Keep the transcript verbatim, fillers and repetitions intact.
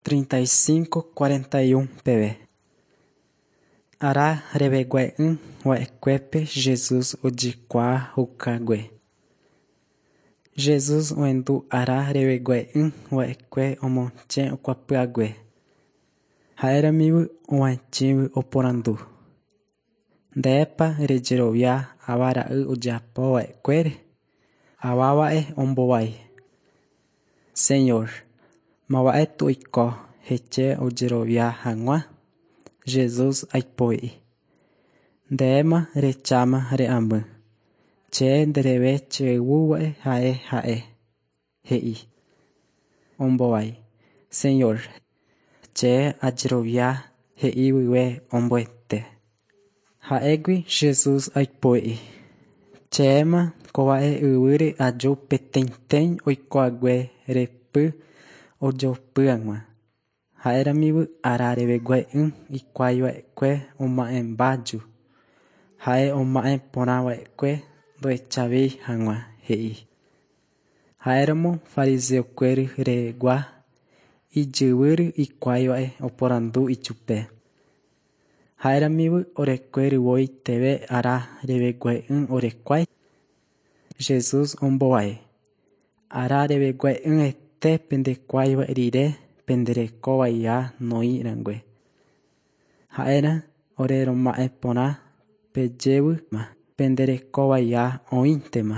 Treinta y cinco cuarenta y un peve. Ara revegue'ỹ va'ekuépe Jesús ojekuaajukahague. Jesús ohendu ára revegue'ỹ va'ekue omosẽ okuapyhague. Ha'eramíva og̃uaig̃ui oporandu: Ndépa rejerovia ava ra'y ojapova'ekuére. Avava'e ombohovái: Señor, máva'e toiko hese ajerovia hag̃ua. Jesús aipo'i: Ndéma rehecháma re'áma. Che ndéve cheguáva ha'e ha'e, he'i. Ombohovái: Señor, che ajerovia he'i guive omboete. Ha'égui Jesús aipo'i: Chéma kóva'e yvýre aju peteĩteĩ oikohague repy ojopy hag̃ua. Ha'eramíva ára revegue'ỹ ikuaiva'ekue oma'ẽmbaju. Ha'e oma'ẽ porãva'ekue ndohechavéi hag̃ua, he'i. Ha'éramo fariseokuéra rehegua ijyvýre hikuáiva'e oporandu ichupe. Ha'eramíva orekuéra teve ára revegue'ỹ orekuái. Jesús ombohovái: Ára revegue'ỹete pendekuáiva rire penderekovaiha noĩrangue. Ha'erã ore roma'ẽ porã pejévyma penderekovaiha oĩntema.